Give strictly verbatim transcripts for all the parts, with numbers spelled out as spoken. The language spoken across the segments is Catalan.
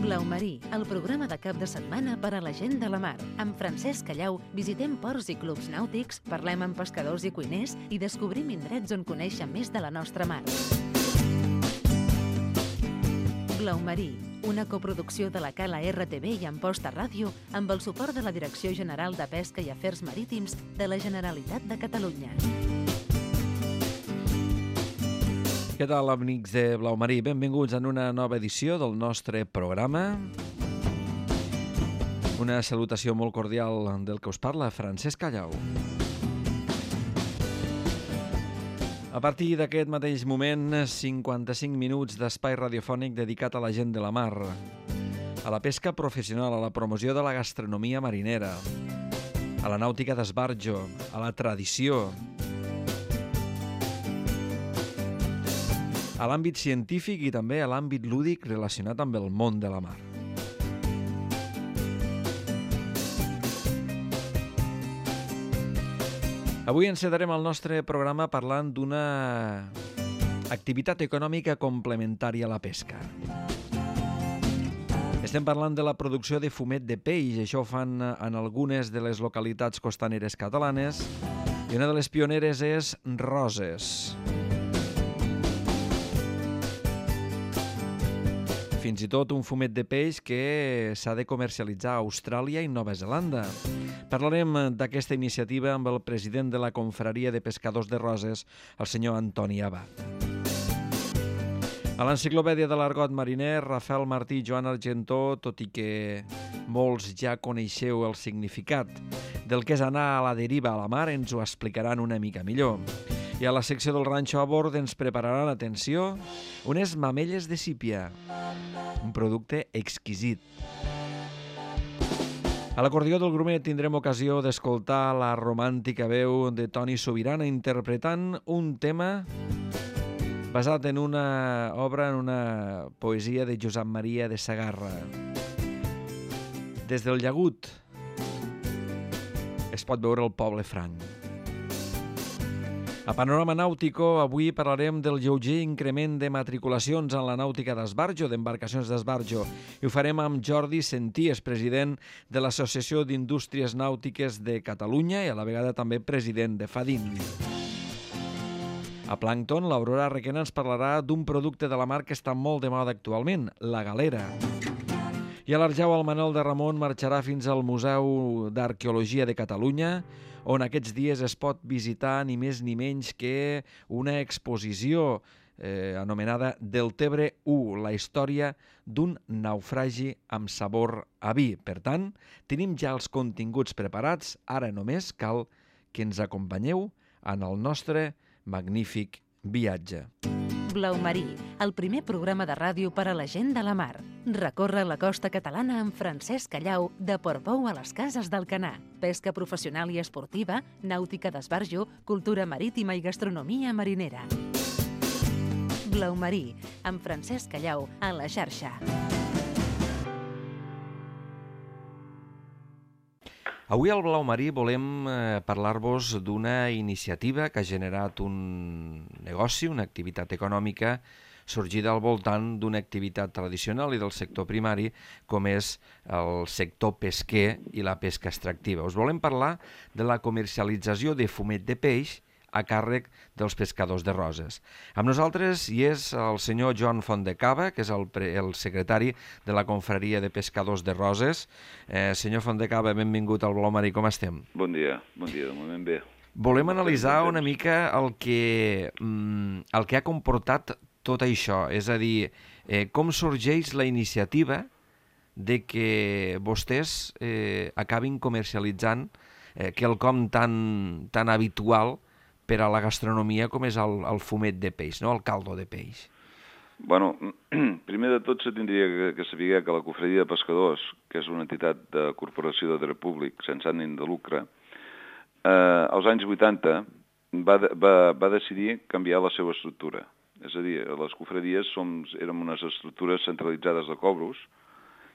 Blau Marí, el programa de cap de setmana per a la gent de la mar. Amb Francesc Callau visitem ports i clubs nàutics, parlem amb pescadors i cuiners i descobrim indrets on conèixer més de la nostra mar. Blau Marí, una coproducció de la Cala R T V i Amposta Ràdio amb el suport de la Direcció General de Pesca i Afers Marítims de la Generalitat de Catalunya. Què tal, amics de Blau Marí? Benvinguts en una nova edició del nostre programa. Una salutació molt cordial del que us parla, Francesc Callau. A partir d'aquest mateix moment, cinquanta-cinc minuts d'espai radiofònic dedicat a la gent de la mar, a la pesca professional, a la promoció de la gastronomia marinera, a la nàutica d'esbarjo, a la tradició, a l'àmbit científic i també a l'àmbit lúdic relacionat amb el món de la mar. Avui encetarem el nostre programa parlant d'una activitat econòmica complementària a la pesca. Estem parlant de la producció de fumet de peix. Això ho fan en algunes de les localitats costaneres catalanes i una de les pioneres és Roses. Fins i tot un fumet de peix que s'ha de comercialitzar a Austràlia i Nova Zelanda. Parlarem d'aquesta iniciativa amb el president de la Confraria de Pescadors de Roses, el senyor Antoni Abad. A l'Enciclopèdia de l'Argot Mariner, Rafael Martí i Joan Argentó, tot i que molts ja coneixeu el significat del que és anar a la deriva a la mar, ens ho explicaran una mica millor. I a la secció del Ranxo a bord ens prepararan, atenció, unes mamelles de sípia, un producte exquisit. A l'acordió del Grumet tindrem ocasió d'escoltar la romàntica veu de Toni Sobirana interpretant un tema basat en una obra, en una poesia de Josep Maria de Sagarra. Des del llagut es pot veure el poble franc. A Panorama Nàutico avui parlarem del lleuger increment de matriculacions en la nàutica d'esbarjo, d'embarcacions d'esbarjo, i ho farem amb Jordi Senties, president de l'Associació d'Indústries Nàutiques de Catalunya i a la vegada també president de FADIN. A Plàncton, l'Aurora Requena ens parlarà d'un producte de la mar que està molt de moda actualment, la galera. I a l'Arjau, el Manel de Ramon marxarà fins al Museu d'Arqueologia de Catalunya, on aquests dies es pot visitar ni més ni menys que una exposició eh, anomenada Deltebre u, la història d'un naufragi amb sabor a vi. Per tant, tenim ja els continguts preparats, ara només cal que ens acompanyeu en el nostre magnífic viatge. Blau Marí, el primer programa de ràdio per a la gent de la mar. Recorre la costa catalana amb Francesc Callau de Portbou a les Cases d'Alcanar. Pesca professional i esportiva, nàutica d'esbarjo, cultura marítima i gastronomia marinera. Blau Marí, amb Francesc Callau a la xarxa. Avui al Blau Marí volem eh, parlar-vos d'una iniciativa que ha generat un negoci, una activitat econòmica sorgida al voltant d'una activitat tradicional i del sector primari, com és el sector pesquer i la pesca extractiva. Us volem parlar de la comercialització de fumet de peix a càrrec dels pescadors de Roses. Amb nosaltres hi és el senyor Joan Fontdecaba, que és el, pre, el secretari de la Confraria de Pescadors de Roses. Eh, senyor Fontdecaba, benvingut al Blau Marí, com estem? Bon dia, bon dia, de moment bé. Volem analitzar una mica el que, mm, el que ha comportat tot això, és a dir, eh, com sorgeix la iniciativa de que vostès eh, acabin comercialitzant eh, quelcom tan, tan habitual per a la gastronomia com és el, el fumet de peix, no? El caldo de peix. Bueno, primer de tot se tindria que, que saber que la Confraria de Pescadors, que és una entitat de corporació de dret públic sense ànim de lucre, eh, als anys vuitanta va, va, va decidir canviar la seva estructura. És a dir, les confraries som, érem unes estructures centralitzades de cobros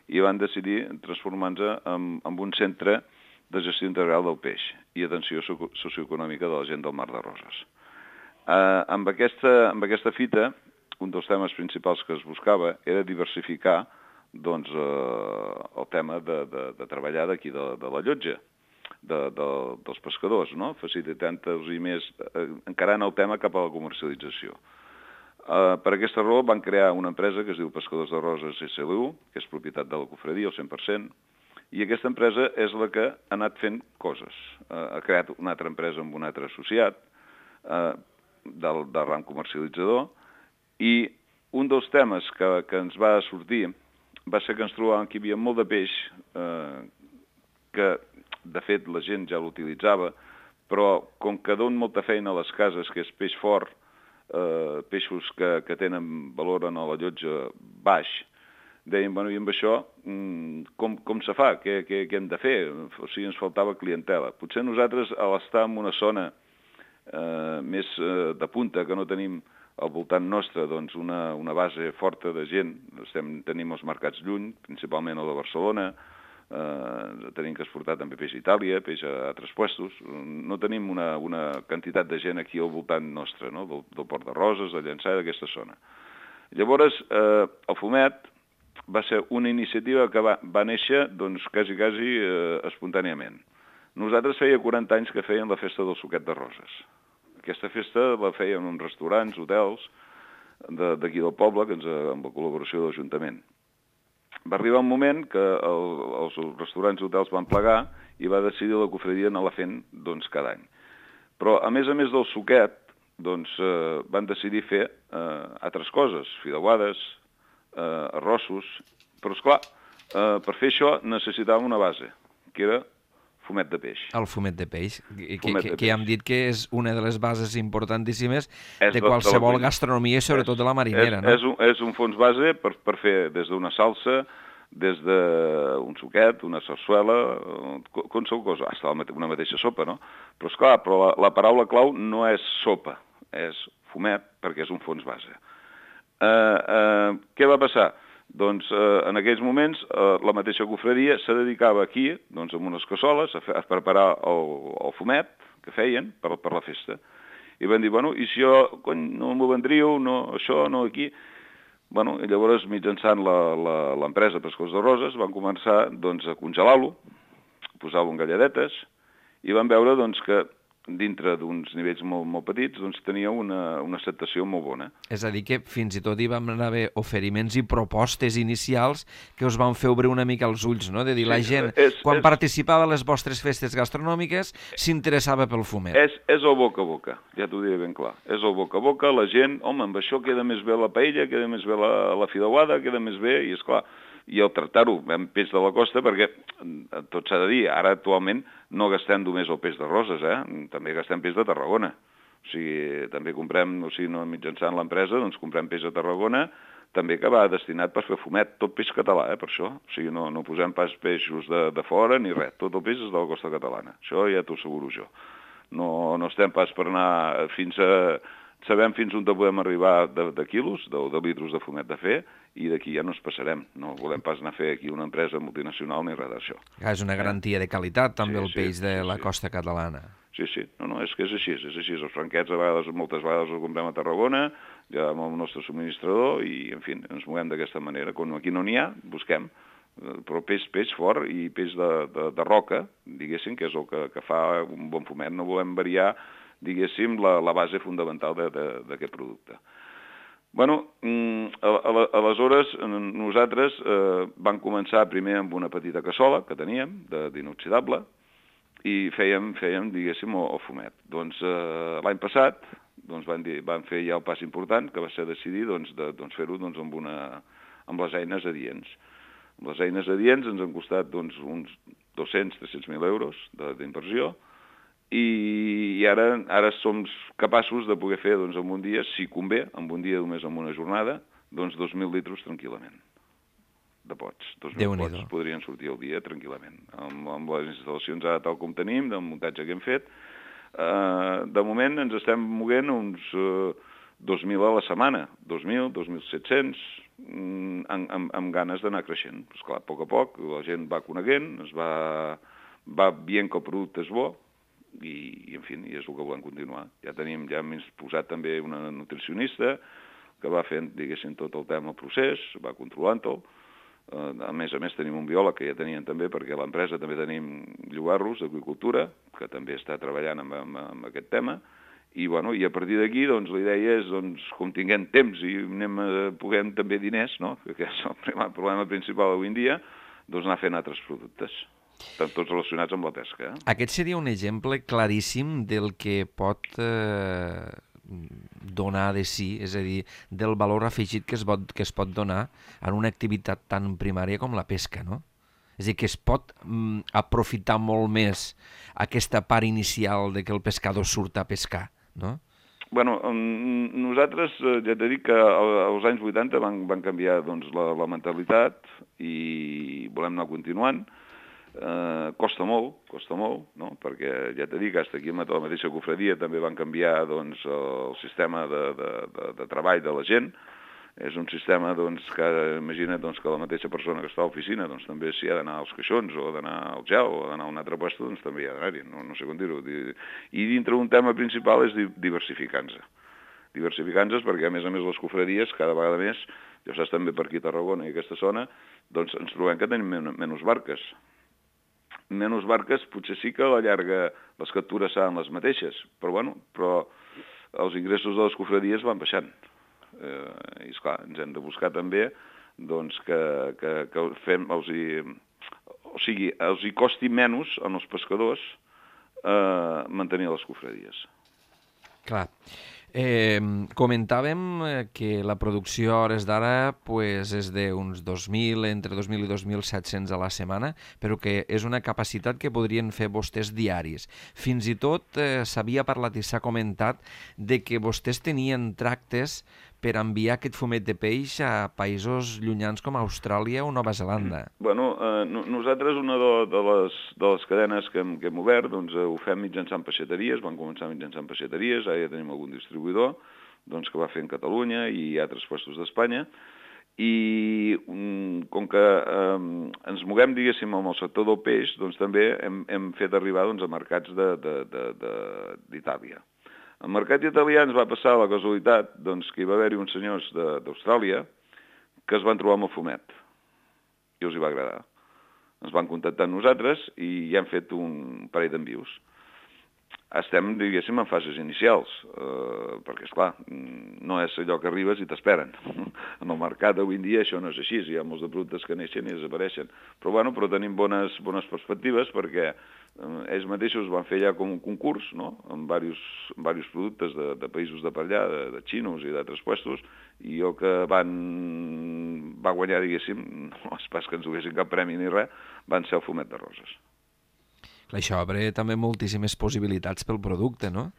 i van decidir transformar-se en, en un centre de gestió integral del peix i atenció socioeconòmica de la gent del Mar de Roses. Eh, amb, aquesta, amb aquesta fita, un dels temes principals que es buscava era diversificar doncs, eh, el tema de, de, de treballar d'aquí de, de la llotja, de, de, dels pescadors, no? Facilitant-los i més, eh, encarant el tema cap a la comercialització. Eh, per aquesta raó van crear una empresa que es diu Pescadors de Roses S L U, que és propietat de la cofradia al cent per cent, i aquesta empresa és la que ha anat fent coses. Eh, ha creat una altra empresa amb un altre associat eh, del, del ram comercialitzador, i un dels temes que, que ens va sortir va ser que ens trobàvem que hi havia molt de peix, eh, que de fet la gent ja l'utilitzava, però com que don molta feina a les cases, que és peix fort, eh, peixos que, que tenen valor en la llotja baix, deien, bueno, i amb això, com, com se fa? Què, què, què hem de fer? O sigui, ens faltava clientela. Potser nosaltres, a l'estar en una zona eh, més eh, de punta, que no tenim al voltant nostre doncs, una, una base forta de gent, estem, tenim els mercats lluny, principalment el de Barcelona, eh, tenim que exportar també peix a Itàlia, peix a altres puestos, no tenim una, una quantitat de gent aquí al voltant nostre, no? del, del Port de Roses, de Llançà, d'aquesta zona. Llavors, eh, el fumet va ser una iniciativa que va, va néixer, doncs, quasi, quasi eh, espontàniament. Nosaltres feia quaranta anys que feien la festa del suquet de Roses. Aquesta festa la feien en restaurants, hotels, d'aquí del poble, que ens, amb la col·laboració de l'Ajuntament. Va arribar un moment que el, els restaurants i hotels van plegar i va decidir la cofradia anar-la fent doncs, cada any. Però, a més a més del suquet, doncs, eh, van decidir fer eh, altres coses, fideuades, eh, arrossos, però, esclar, eh, per fer això necessitàvem una base, que era fumet de peix. El fumet de peix, que, fumet que, de que ja hem dit que és una de les bases importantíssimes és de qualsevol de gastronomia i sobretot és, de la marinera, és, no? És un, és un fons base per, per fer des d'una salsa, des d'un suquet, una sarsuela, qualsevol cosa, hasta una mateixa sopa, no? Però, esclar, però la, la paraula clau no és sopa, és fumet, perquè és un fons base. Eh, eh, què va passar? Doncs eh, en aquells moments eh, la mateixa cofradia se dedicava aquí, doncs amb unes cassoles, a, fer, a preparar el, el fumet que feien per, per la festa. I van dir, bueno, i si jo, cony, no m'ho vendríeu, no això, no aquí... Bueno, i llavors, mitjançant l'empresa Pescadors de Roses, van començar doncs, a congelar-lo, posar-lo en galladetes, i van veure doncs, que dintre d'uns nivells molt, molt petits, doncs tenia una, una acceptació molt bona. És a dir, que fins i tot hi vam haver oferiments i propostes inicials que us van fer obrir una mica els ulls, no? De dir, sí, la gent, és, quan és, participava a les vostres festes gastronòmiques, s'interessava pel fumet. És, és el boca a boca, ja t'ho diré ben clar. És el boca a boca, la gent, home, amb això queda més bé la paella, queda més bé la, la fideuada, queda més bé, i és clar, i el tractar-ho amb peix de la costa, perquè tot s'ha de dir, ara actualment no gastem només el peix de Roses, eh? També gastem peix de Tarragona. O sigui, també comprem, o sigui, no mitjançant l'empresa, doncs comprem peix de Tarragona, també que va destinat per fer fumet, tot peix català, eh, per això. O sigui, no, no posem pas peixos de, de fora ni res, tot el peix és de la costa catalana. Això ja t'ho asseguro jo. No, no estem pas per anar fins a... Sabem fins on podem arribar de, de quilos, de, de litros de fumet de fer, i d'aquí ja no ens passarem. No volem pas anar a fer aquí una empresa multinacional ni res d'això. Ah, és una garantia de qualitat, també, sí, el peix sí, de sí, la sí. costa catalana. Sí, sí, no, no, és que és així, és així. Els franquets a vegades, moltes vegades els comprem a Tarragona, ja amb el nostre subministrador, i, en fi, ens movem d'aquesta manera. Quan aquí no n'hi ha, busquem. Però peix, peix fort i peix de, de, de roca, diguéssim, que és el que, que fa un bon fumet. No volem variar, diguéssim, la, la base fundamental d'aquest producte. Bueno, aleshores nosaltres eh, vam començar primer amb una petita cassola que teníem, d'inoxidable, i fèiem, fèiem diguéssim, el, el fumet. Doncs eh, l'any passat doncs, van, dir, van fer ja el pas important, que va ser decidir doncs, de, doncs, fer-ho doncs, amb, una, amb les eines adients. Les eines adients ens han costat doncs, uns dos-cents a tres-cents mil euros d'inversió, i ara, ara som capaços de poder fer doncs, en un dia, si convé, en un dia només en una jornada, doncs dos mil litros tranquil·lament de pots. dos mil pots podrien sortir al dia tranquil·lament. Amb, amb les instal·lacions ara tal com tenim, del muntatge que hem fet, eh, de moment ens estem moguent uns eh, dos mil a la setmana, dos mil, dos mil set-cents, amb, amb, amb ganes d'anar creixent. Pues clar, a poc a poc, la gent va coneguent, es va, va veient que el producte és bo, i, i en fi, i és el que volem continuar. Ja tenim, ja hem posat també una nutricionista que va fent, diguéssim, tot el tema procés, va controlant-ho, A més a més tenim un biòleg que ja tenien també, perquè a l'empresa també tenim llogarros d'agricultura, que també està treballant amb, amb, amb aquest tema, i, bueno, i a partir d'aquí doncs, la idea és, doncs, com tinguem temps i anem a, puguem també diners, no? Que és el primer problema principal avui en dia, doncs anar fent altres productes, tots relacionats amb la pesca. Eh? Aquest seria un exemple claríssim del que pot eh, donar de si, és a dir, del valor afegit que es, pot, que es pot donar en una activitat tan primària com la pesca, no? És a dir, que es pot mm, aprofitar molt més aquesta part inicial de que el pescador surt a pescar, no? Bueno, nosaltres, ja t'he dit que als anys vuitanta van, van canviar doncs, la, la mentalitat i volem anar continuant. Eh, costa molt, costa molt, no? Perquè ja t'he dit que fins aquí a la mateixa cofradia també van canviar doncs, el sistema de, de, de, de treball de la gent. És un sistema doncs, que imagina doncs, que la mateixa persona que està a l'oficina doncs, també si ha d'anar als caixons o d'anar al gel o d'anar a un altre puesto, doncs també hi ha d'anar-hi, no, no sé com dir-ho. I dintre un tema principal és diversificar-nos. Diversificar-nos perquè a més a més les cofradies cada vegada més, ja saps també per aquí a Tarragona i aquesta zona, doncs ens trobem que tenim men menys barques. Menys barques potser sí que a la llarga les captures seran les mateixes, però, bueno, però els ingressos de les cofradies van baixant. Eh, I esclar, ens hem de buscar també doncs, que, que, que fem, els hi, o sigui, els hi costi menys als pescadors eh, mantenir les cofradies. Clar. Eh, comentàvem que la producció a hores d'ara pues, és d'uns dos mil, entre dos mil i dos mil set-cents a la setmana, però que és una capacitat que podrien fer vostès diaris. Fins i tot eh, s'havia parlat i s'ha comentat de que vostès tenien tractes per enviar aquest fumet de peix a països llunyans com Austràlia o Nova Zelanda. Bueno, eh, nosaltres una de, de, les, de les cadenes que hem, que hem obert doncs, ho fem mitjançant peixateries, van començar mitjançant peixateries, ara ja tenim algun distribuïdor doncs, que va fer en Catalunya i altres puestos d'Espanya, i um, com que eh, ens moguem, diguéssim, amb el sector del peix, doncs també hem, hem fet arribar doncs, a mercats d'Itàlia. Al mercat italià ens va passar la casualitat doncs, que hi va haver-hi uns senyors d'Austràlia que es van trobar amb el fumet i els hi va agradar. Ens van contactar amb nosaltres i ja hem fet un parell d'envius. Estem, diguéssim, en fases inicials, eh, perquè, esclar, no és allò que arribes i t'esperen. En el mercat avui en dia això no és així, hi ha molts de productes que neixen i desapareixen. Però, bueno, però tenim bones, bones perspectives perquè eh, ells mateixos van fer ja com un concurs, no?, amb diversos, amb diversos productes de, de països de per allà, de, de xinos i d'altres puestos, i el que van va guanyar, diguéssim, no és pas que ens duguessin cap premi ni res, van ser el fumet de roses. Això obre també moltíssimes possibilitats pel producte, no?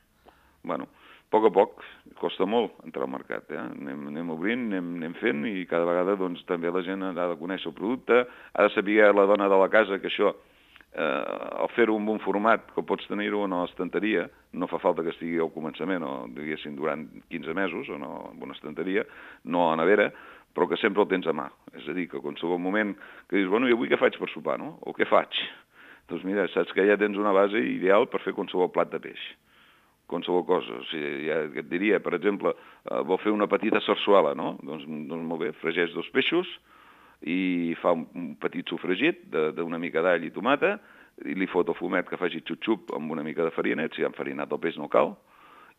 Bueno, a poc a poc, costa molt entrar al mercat, eh? Anem, anem obrint, anem, anem fent i cada vegada doncs, també la gent ha de conèixer el producte, ha de saber la dona de la casa que això, eh, al fer-ho en un format que pots tenir-ho a l'estanteria, no fa falta que estigui al començament o diguéssim durant quinze mesos o no, en una estanteria, no a la nevera, però que sempre el tens a mà. És a dir, que a qualsevol moment que dius, bueno, i avui què faig per sopar, no? O què faig? Doncs mira, saps que ja tens una base ideal per fer qualsevol plat de peix, qualsevol cosa. O sigui, ja et diria, per exemple, eh, vol fer una petita sarsuela, no? Doncs, doncs molt bé, fregeix dos peixos i fa un, un petit sofregit d'una mica d'all i tomata i li fot el fumet que faci xup-xup amb una mica de farina, si ha enfarinat el peix no cal,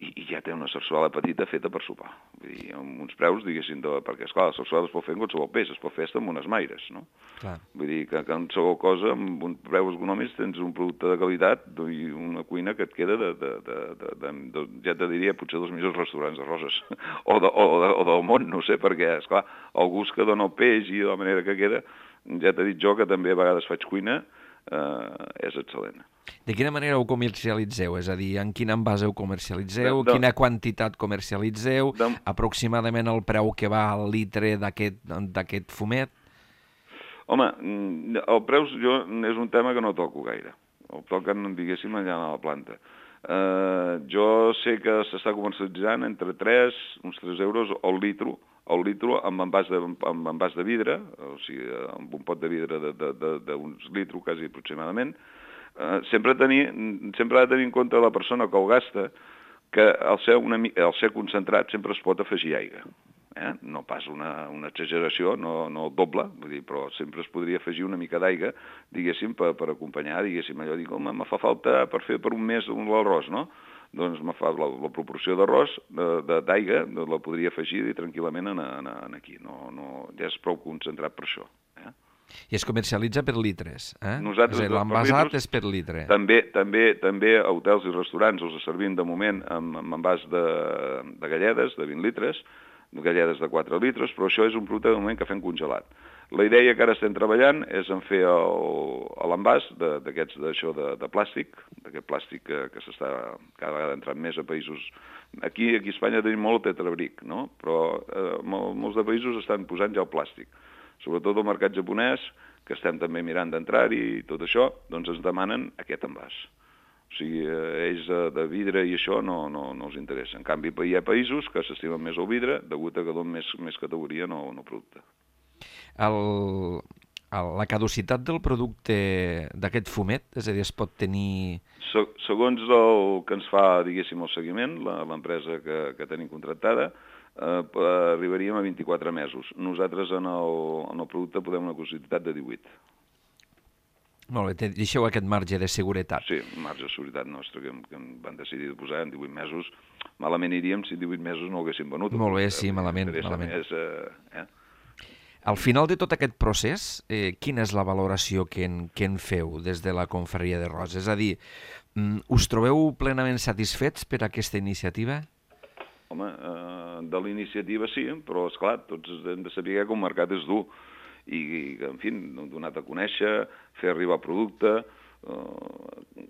i, i ja té una sarsuela petita feta per sopar. Vull dir, amb uns preus, diguéssim, de, perquè, esclar, la sarsuela es pot fer en qualsevol peix, es pot fer amb unes maires, no? Clar. Vull dir que, que en qualsevol cosa, amb uns preus econòmics, tens un producte de qualitat i una cuina que et queda de, de, de, de, de, de ja te diria, potser dels millors restaurants de roses, o, de, o, de, o del món, no sé, perquè, esclar, el gust que dona el peix i la manera que queda, ja t'he dit jo que també a vegades faig cuina, eh, és excel·lent. De quina manera ho comercialitzeu? És a dir, en quin envàs ho comercialitzeu? De, de, quina quantitat comercialitzeu? De, aproximadament el preu que va al litre d'aquest fumet? Home, el preu jo, és un tema que no toco gaire. El toquen, diguéssim, allà a la planta. Eh, jo sé que s'està comercialitzant entre tres, uns tres euros al litro, al litro amb envàs de, amb envàs de vidre, o sigui, amb un pot de vidre d'uns litros, quasi aproximadament. Uh, sempre, tenir, sempre ha de tenir en compte la persona que el gasta que al ser, una, al ser concentrat sempre es pot afegir aigua. eh? No pas una, una exageració, no, no doble, vull dir, però sempre es podria afegir una mica d'aigua, diguéssim, per, per acompanyar, diguéssim, allò, dic, home, me fa falta per fer per un mes l'arròs, no? Doncs me fa la, la proporció d'arròs, d'aigua, la podria afegir tranquil·lament en, en, en aquí. No, no, ja és prou concentrat per això. Eh? I es comercialitza per litres, eh? Nosaltres, l'envasat és per litre. També, també, també a hotels i restaurants els servim de moment amb, amb envàs de, de galledes de vint litres, galledes de quatre litres, però això és un producte de moment que fem congelat. La idea que ara estem treballant és en fer l'envàs d'aquests d'això de, de plàstic, d'aquest plàstic que, que s'està cada vegada entrant més a països. Aquí, aquí a Espanya tenim molt tetrabric, no? Però eh, molts de països estan posant ja el plàstic. Sobretot el mercat japonès, que estem també mirant d'entrar-hi i tot això, doncs ens demanen aquest envàs. O sigui, eh, ells de vidre i això no, no, no els interessa. En canvi, hi ha països que s'estimen més el vidre, degut a que donen més, més categoria no, no producte. El, el, la caducitat del producte d'aquest fumet, és a dir, es pot tenir... Se, segons el que ens fa, diguéssim, el seguiment, l'empresa que, que tenim contractada, eh, arribaríem a vint-i-quatre mesos. Nosaltres en el, en el producte podem una caducitat de divuit. Molt bé, deixeu aquest marge de seguretat. Sí, marge de seguretat nostre que, que van decidir de posar en divuit mesos. Malament iríem si divuit mesos no ho haguéssim venut. Molt bé, sí, malament. malament. Més, eh, eh? Al final de tot aquest procés, eh, quina és la valoració que en, que en feu des de la Confraria de Roses? És a dir, us trobeu plenament satisfets per aquesta iniciativa? Home, eh, de la iniciativa sí, però esclar, tots hem de saber que el mercat és dur i, i en fi, donat a conèixer, fer arribar producte, eh,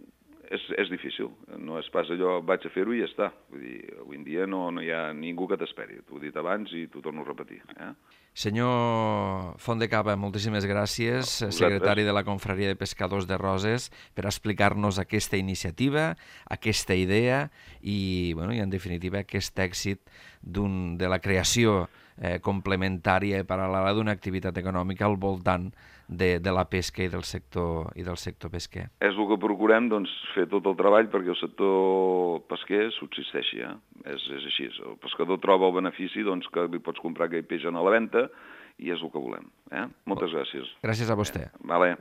és, és difícil. No és pas allò, vaig a fer-ho i ja està. Vull dir, avui en dia no, no hi ha ningú que t'esperi. T'ho he dit abans i t'ho torno a repetir. Eh? Senyor Fontdecaba, moltíssimes gràcies, no, secretari de la Confraria de Pescadors de Roses, per explicar-nos aquesta iniciativa, aquesta idea i, bueno, i en definitiva, aquest èxit de la creació eh, complementària i paral·lela d'una activitat econòmica al voltant de, de la pesca i del sector i del sector pesquer. És el que procurem, doncs, fer tot el treball perquè el sector pesquer subsisteixi. Eh? És, és així. El pescador troba el benefici doncs, que li pots comprar aquell peix a la venda i és el que volem. Eh? Moltes gràcies. Gràcies a vostè. Eh? Vale.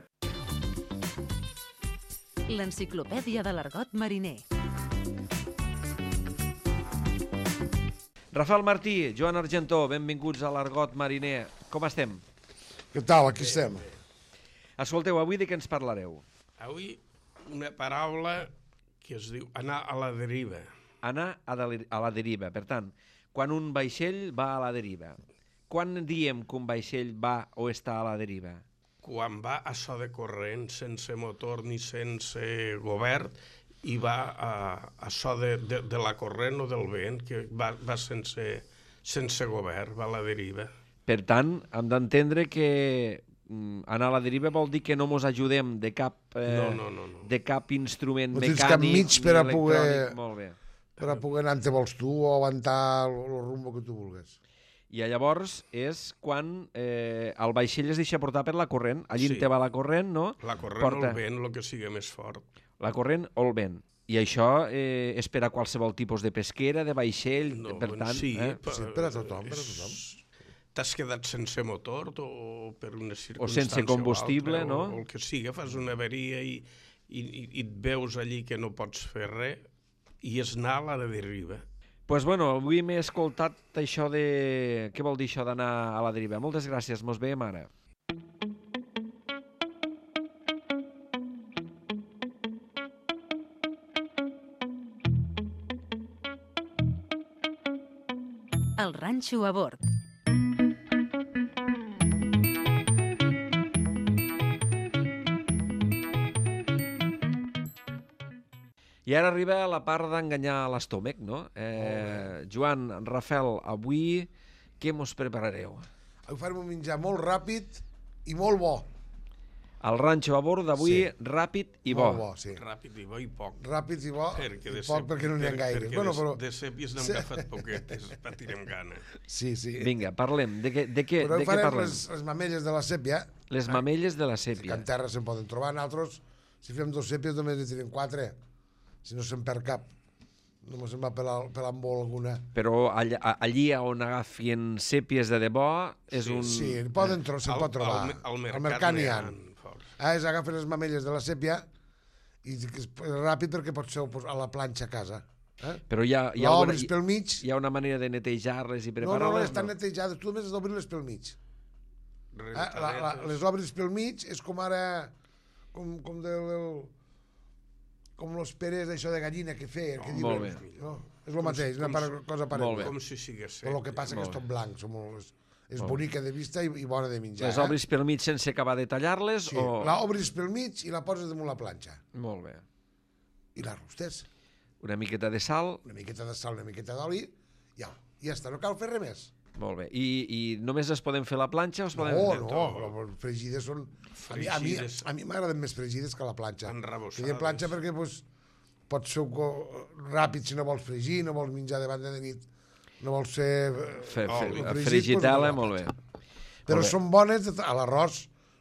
L'enciclopèdia de l'argot mariner. Rafael Martí, Joan Argentó, benvinguts a l'Argot Mariner. Com estem? Què tal? Aquí estem. Escolteu, avui de què ens parlareu? Avui una paraula que es diu anar a la deriva. Anar a, de, a la deriva. Per tant, quan un vaixell va a la deriva. Quan diem que un vaixell va o està a la deriva? Quan va a so de corrent, sense motor ni sense govern, i va a, a so de, de, de la corrent o del vent, que va, va sense, sense govern, va a la deriva. Per tant, hem d'entendre que anar a la deriva vol dir que no mos ajudem de cap, eh, no, no, no, no. de cap instrument no mecànic cap mig per a poder, molt bé. Per a poder anar on te vols tu o avançar el rumbo que tu vulguis. I llavors és quan eh, el vaixell es deixa portar per la corrent. Allí sí. Te va la corrent, no? La corrent Porta... o el vent, el que sigui més fort. La corrent o el vent. I això eh, és per a qualsevol tipus de pesquera, de vaixell, no, per tant... Sí, eh? per, sí, per a tothom, per a tothom. T'has quedat sense motor o per una circumstància o sense combustible, o altra, no? O el que sigui, fas una avaria i, i, i et veus allí que no pots fer res i és anar a la deriva. Doncs pues bueno, avui m'he escoltat això de... Què vol dir això d'anar a la deriva? Moltes gràcies, mos veiem ara. El ranxo a bord. I ara arriba la part d'enganyar l'estómac, no? Eh, Joan, Rafael, avui què mos preparareu? Avui farem un menjar molt ràpid i molt bo. El ranxo a bord d'avui, sí. Ràpid i bo. Molt bo, sí. Ràpid i bo i poc. Ràpid i bo perquè i poc perquè no n'hi ha gaire. Perquè bueno, de, però... de sèpies n'hem sí. agafat poquetes, patirem gana. Sí, sí. Vinga, parlem. De què, de què, però de què parlem? Les, les mamelles de la sèpia. Les mamelles de la sèpia. Que en terra se'n poden trobar. Nosaltres, si fem dos sèpies, només en tenim quatre. Si no se'n perd cap. només em va pelar, pelar amb vol alguna. Però allà, allí on agafien sèpies de debò és Sí, un... Sí, poden tro se'n Al- pot trobar. al- al mercat Al mercat n'hi ha. n'hi ha, forts. Ah, és agafen les mamelles de la sèpia i és ràpid perquè pot ser a la planxa a casa. Eh? Però hi ha, hi, ha una, L'obres pel mig. hi ha una manera de netejar-les i No, no, no, preparar-les? estan netejades. Tu només has d'obrir-les pel mig. Eh? La, la, Rentadetes. les obres pel mig és com ara... Com, com del... del com los perers d'això de gallina que feien. Que Oh, diuen, molt bé. No? És el mateix, com una si- par- cosa parella. Molt bé. Com si sigués Però el que passa que és Molt tot blanc. Som molt, és és Molt bonica de vista i, i bona de menjar. Les obris pel mig sense acabar de tallar-les? Sí, o... la obris pel mig i la poses damunt la planxa. Molt bé. I la rostes. Una miqueta de sal, Una miqueta de sal, una miqueta d'oli, ja, ja està, no cal fer res més. molt bé. I, i només es poden fer a la planxa o es poden... No, no, però fregides són... A mi, a mi, Fregides. a mi m'agraden més fregides que la planxa. Enrebossades. Que de planxa perquè pues, pot ser ràpid si no vols fregir, no vols menjar davant de nit, no vols ser... Fe, Oh, fe, i oh, fregit, frigitela, doncs, molt bé. Però Molt bé. són bones, de- a l'arròs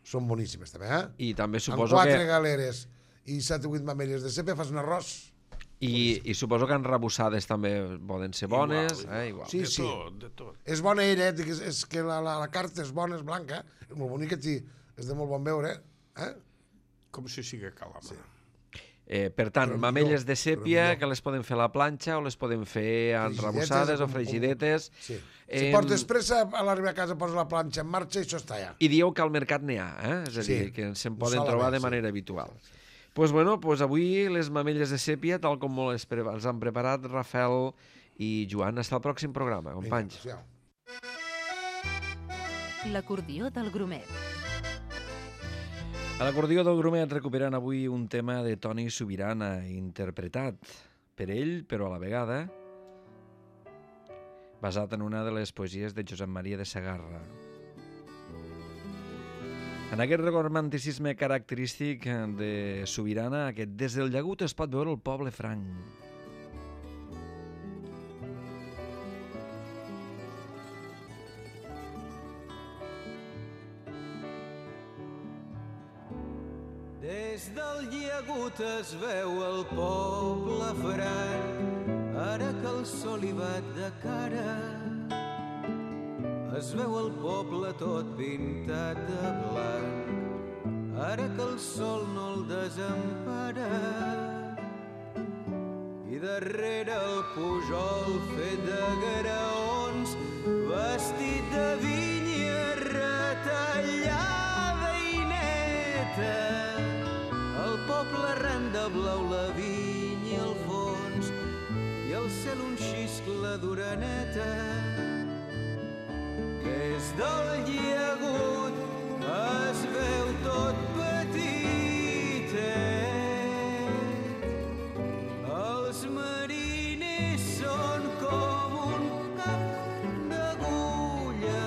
són boníssimes també, eh? I també Amb suposo quatre que... galeres i set o vuit mamelles de sèpia fas un arròs. I, I suposo que enrebossades també poden ser bones. Igual, eh? Igual. Sí, de sí. tot, de tot. És bona ella, eh? és, és que la, la, la carta és bona, és blanca, és molt bonica, tí, és de molt bon veure, eh? Com si sigui calama. Sí. Eh, per tant, Però mamelles millor, de però sèpia millor. que les poden fer a la planxa o les poden fer enrebossades o com- com- fregidetes. Sí. Em, Si portes pressa, a l'arribar a casa poses la planxa en marxa i això està ja. I dieu que al mercat n'hi ha, eh? És a dir, Sí, que se'n un poden solament, trobar de sí. manera habitual. Doncs pues bueno, pues avui les mamelles de sèpia, tal com les pre els han preparat Rafael i Joan. Hasta el pròxim programa, companys. Vinga, L'acordió del Grumet. A l'acordió del Grumet recuperant avui un tema de Toni Subirana, interpretat per ell, però a la vegada basat en una de les poesies de Josep Maria de Segarra. En aquest romanticisme característic de Subirana, aquest des del llagut es pot veure el poble franc. Des del llagut es veu el poble franc, ara que el sol hi bat de cara. Es veu el poble tot pintat de blanc, ara que el sol no el desempara. I darrere el pujol fet de graons, vestit de vinya retallada i neta, el poble arran de blau, la vinya i el fons, i el cel un xiscle d'oreneta. Des del llagut es veu tot petitet. Els mariners són com un cap d'agulla.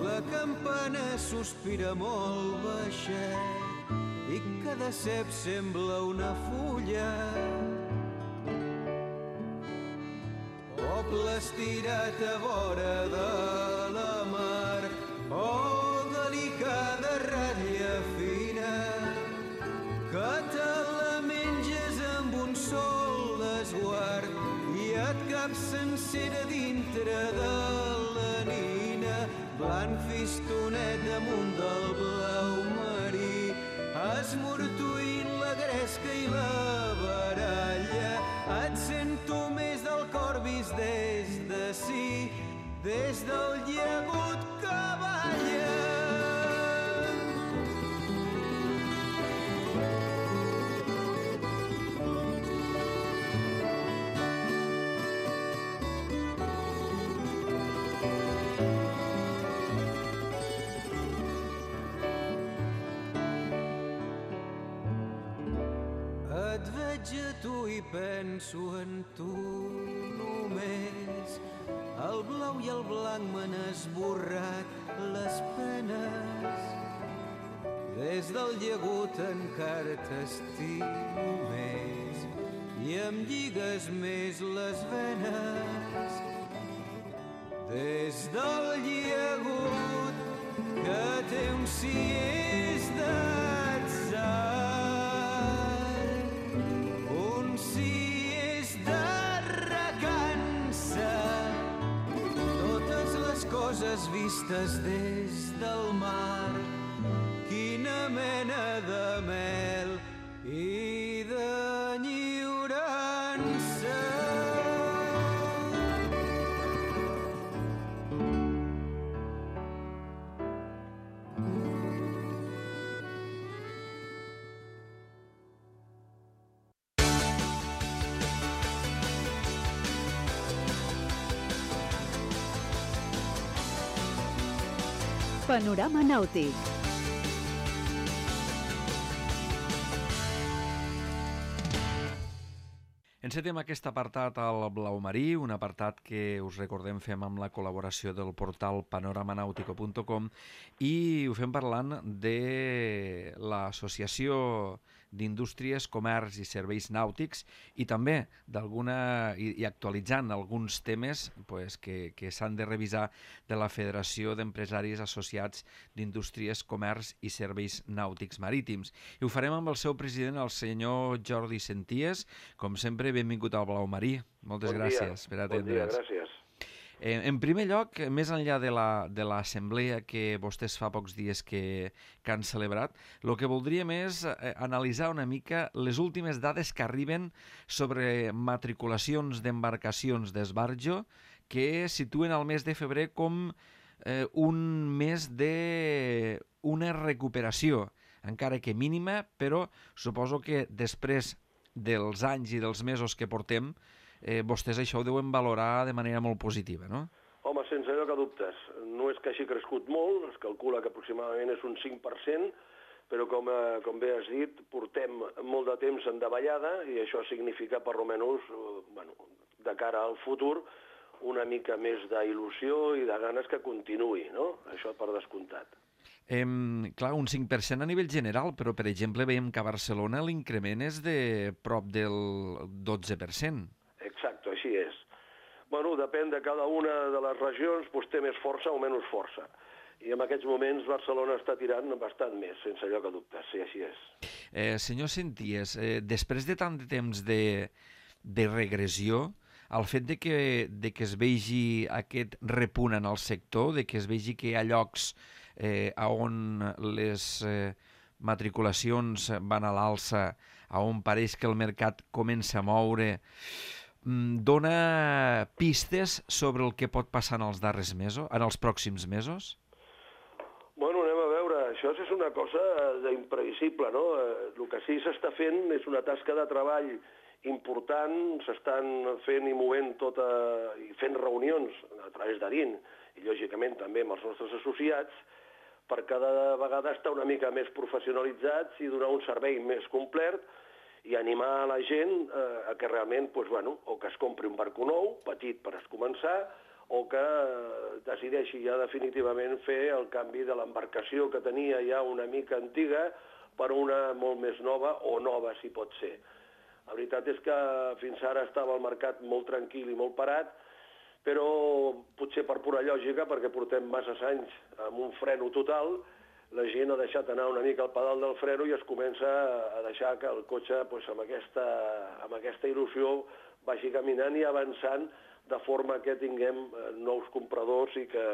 La campana sospira molt baixet i cada cep sembla una fulla. Poble estirat a vora de la mar, oh, delicada ratlla fina, que te la menges amb un sol esguard i et cap sencera dintre de la nina. Blanc fistonet damunt del blau marí, esmortuint la gresca i la baralla. Et sento més del cor vist des d'ací, des del llagut que balla. Et veig a tu i penso en tu només. El blau i el blanc m'han esborrat les penes. Des del llagut encara t'estimo més i em lligues més les venes. Des del llagut que té un cies d'atzar, un cies les vistes des del mar, quina mena de mel i d'enyorança. Panorama nàutic. Encetem aquest apartat al blau marí, un apartat que us recordem fem amb la col·laboració del portal panoramanautico punt com i ho fem parlant de l'Associació d'Indústries, Comerç i Serveis Nàutics i també d'alguna i, i actualitzant alguns temes pues, que, que s'han de revisar de la Federació d'Empresaris Associats d'Indústries, Comerç i Serveis Nàutics Marítims. I ho farem amb el seu president, el senyor Jordi Senties. Com sempre, benvingut al Blau Marí. Moltes bon gràcies dia. per atendre'ns. Bon dia, gràcies. Eh, en primer lloc, més enllà de la, de l'assemblea que vostès fa pocs dies que, que han celebrat, el que voldríem és eh, analitzar una mica les últimes dades que arriben sobre matriculacions d'embarcacions d'esbarjo que situen el mes de febrer com eh, un mes d'una recuperació, encara que mínima, però suposo que després dels anys i dels mesos que portem, eh, vostès això ho deuen valorar de manera molt positiva, no? Home, sense lloc a dubtes. No és que hagi crescut molt, es calcula que aproximadament és un cinc per cent, però com, eh, com bé has dit, portem molt de temps en davallada i això significa, per almenys, eh, bueno, de cara al futur, una mica més d'il·lusió i de ganes que continuï, no? Això per descomptat. Eh, clar, un cinc per cent a nivell general, però, per exemple, veiem que a Barcelona l'increment és de prop del dotze per cent. Exacte, així és. Bueno, depèn de cada una de les regions, doncs té més força o menys força. I en aquests moments Barcelona està tirant bastant més, sense lloc a dubtes, sí, així és. Eh, senyor Senties, eh, després de tant de temps de, de regressió, el fet de que, de que es vegi aquest repunt en el sector, de que es vegi que hi ha llocs eh, on les eh, matriculacions van a l'alça, on pareix que el mercat comença a moure, dona pistes sobre el que pot passar en els darrers mesos, en els pròxims mesos? Bueno, anem a veure. Això és una cosa imprevisible, no? El que sí s'està fent és una tasca de treball important, s'estan fent i movent tota, i fent reunions a través d'A D I N i, lògicament, també amb els nostres associats, per cada vegada estar una mica més professionalitzats i donar un servei més complet i animar la gent eh, a que realment, doncs, bueno, o que es compri un barco nou, petit per es començar, o que eh, decideixi ja definitivament fer el canvi de l'embarcació que tenia ja una mica antiga per una molt més nova o nova, si pot ser. La veritat és que fins ara estava el mercat molt tranquil i molt parat, però potser per pura lògica, perquè portem masses anys amb un freno total, la gent ha deixat anar una mica el pedal del freno i es comença a deixar que el cotxe doncs, amb, aquesta, amb aquesta il·lusió vagi caminant i avançant de forma que tinguem nous compradors i que,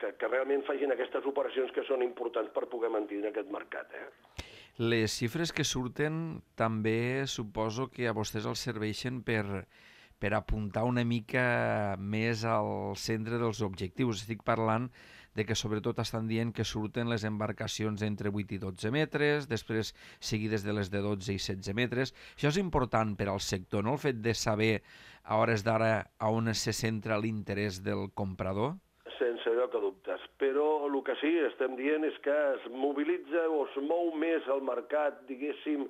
que, que realment facin aquestes operacions que són importants per poder mantenir aquest mercat. Eh? Les xifres que surten també suposo que a vostès els serveixen per, per apuntar una mica més al centre dels objectius. Estic parlant de que sobretot estan dient que surten les embarcacions entre vuit i dotze metres, després seguides de les de dotze i setze metres. Això és important per al sector, no?, el fet de saber a hores d'ara a on se centra l'interès del comprador? Sense lloc a dubtes, però el que sí estem dient és que es mobilitza o es mou més el mercat, diguéssim,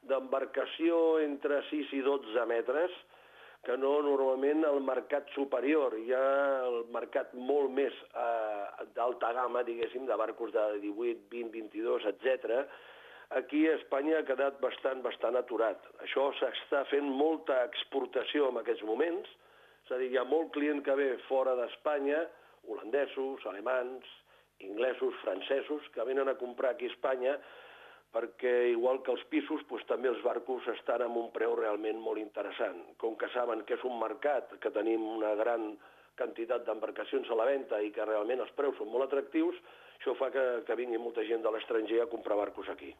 d'embarcació entre sis i dotze metres, que no normalment el mercat superior. Hi ha el mercat molt més eh, d'alta gamma, diguéssim, de barcos de divuit, vint, vint-i-dos, etcètera. Aquí a Espanya ha quedat bastant, bastant aturat. Això s'està fent molta exportació en aquests moments, és a dir, hi ha molt client que ve fora d'Espanya, holandesos, alemans, inglesos, francesos, que venen a comprar aquí a Espanya perquè, igual que els pisos, doncs, també els barcos estan amb un preu realment molt interessant. Com que saben que és un mercat que tenim una gran quantitat d'embarcacions a la venda i que realment els preus són molt atractius, això fa que, que vingui molta gent de l'estranger a comprar barcos aquí.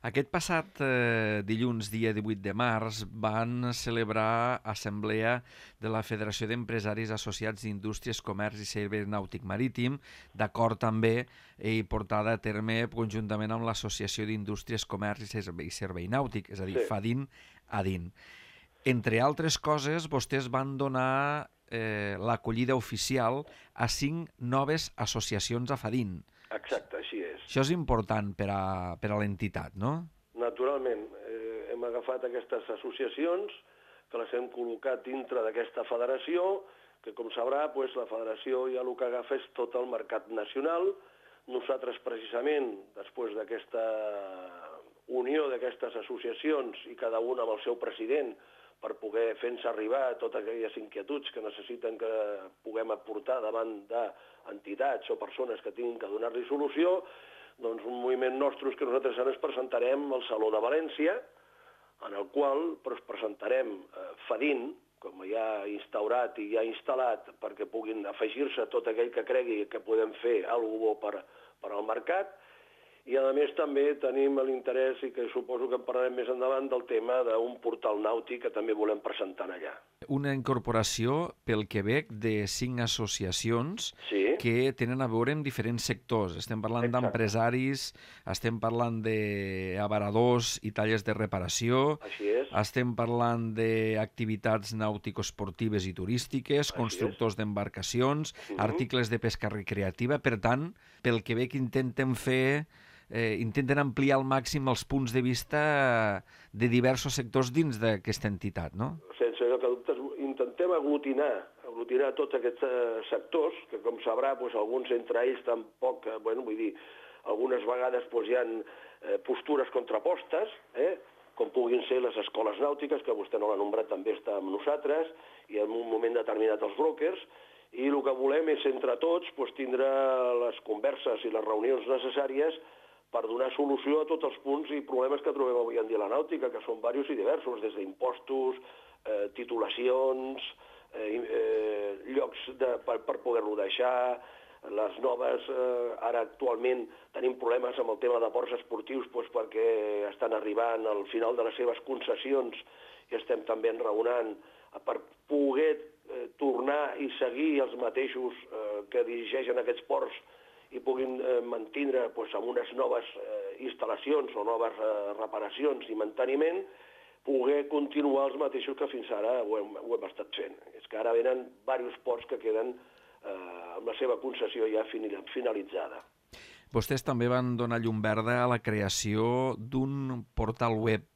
Aquest passat eh, dilluns, dia divuit de març, van celebrar assemblea de la Federació d'Empresaris Associats d'Indústries, Comerç i Servei Nàutic Marítim, d'acord també i portada a terme conjuntament amb l'Associació d'Indústries, Comerç i Servei, i Servei Nàutic, és a dir, sí. FADIN-ADIN. Entre altres coses, vostès van donar eh, l'acollida oficial a cinc noves associacions a FADIN. Exacte, així és. Això és important per a, per a l'entitat, no? Naturalment. Eh, hem agafat aquestes associacions que les hem col·locat dintre d'aquesta federació, que com sabrà, pues, la federació ja el que agafa és tot el mercat nacional. Nosaltres, precisament, després d'aquesta unió d'aquestes associacions i cada una amb el seu president, per poder fer-nos arribar totes aquelles inquietuds que necessiten que puguem aportar davant d'entitats o persones que tinguin que donar-li solució, doncs un moviment nostre que nosaltres ens presentarem al Saló de València, en el qual doncs, presentarem eh, FADIN, com ja ha instaurat i ja ha instal·lat, perquè puguin afegir-se tot aquell que cregui que podem fer alguna cosa bo per, per al mercat. I, a més, també tenim l'interès, i que suposo que en parlarem més endavant, del tema d'un portal nàutic que també volem presentar allà. Una incorporació, pel que veig, de cinc associacions sí. que tenen a veure amb diferents sectors. Estem parlant d'empresaris, estem parlant d'abaradors i tallers de reparació, Així és. estem parlant d'activitats nàutico-esportives i turístiques, Així constructors d'embarcacions, uh-huh. articles de pesca recreativa. Per tant, pel que veig, intenten fer... Eh, intenten ampliar al màxim els punts de vista de diversos sectors dins d'aquesta entitat, no? Sense lloc a dubtes, intentem aglutinar, aglutinar tots aquests eh, sectors, que com sabrà, doncs, alguns entre ells tampoc, eh, bueno, vull dir, algunes vegades doncs, hi ha eh, postures contrapostes, eh? com puguin ser les escoles nàutiques, que vostè no l'ha nombrat, també està amb nosaltres, i en un moment determinat els brokers, i el que volem és, entre tots, doncs, tindre les converses i les reunions necessàries per donar solució a tots els punts i problemes que trobem avui en dia a la nàutica, que són diversos i diversos, des d'impostos, eh, titulacions, eh, eh, llocs de, per, per poder-lo deixar, les noves, eh, ara actualment tenim problemes amb el tema de ports esportius doncs, perquè estan arribant al final de les seves concessions i estem també enraonant per poder eh, tornar i seguir els mateixos eh, que dirigeixen aquests ports i puguin eh, mantindre doncs, amb unes noves eh, instal·lacions o noves eh, reparacions i manteniment, poder continuar els mateixos que fins ara ho hem, ho hem estat fent. És que ara venen diversos ports que queden eh, amb la seva concessió ja finalitzada. Vostès també van donar llum verda a la creació d'un portal web,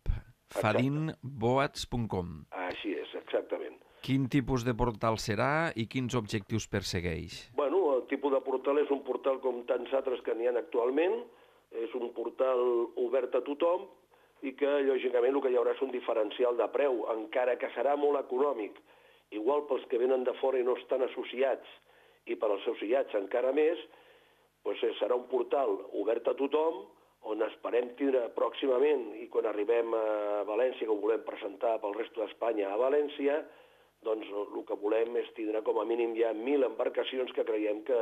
fadin boats punt com. Així és, exactament. Quin tipus de portal serà i quins objectius persegueix? Bueno, el tipus de portal és un portal com tants altres que n'hi ha actualment, és un portal obert a tothom i que, lògicament, el que hi haurà és un diferencial de preu, encara que serà molt econòmic. Igual pels que venen de fora i no estan associats, i per als associats encara més, doncs serà un portal obert a tothom, on esperem tindre pròximament, i quan arribem a València, que ho volem presentar pel resto d'Espanya a València, doncs el que volem és tindre com a mínim ja mil embarcacions que creiem que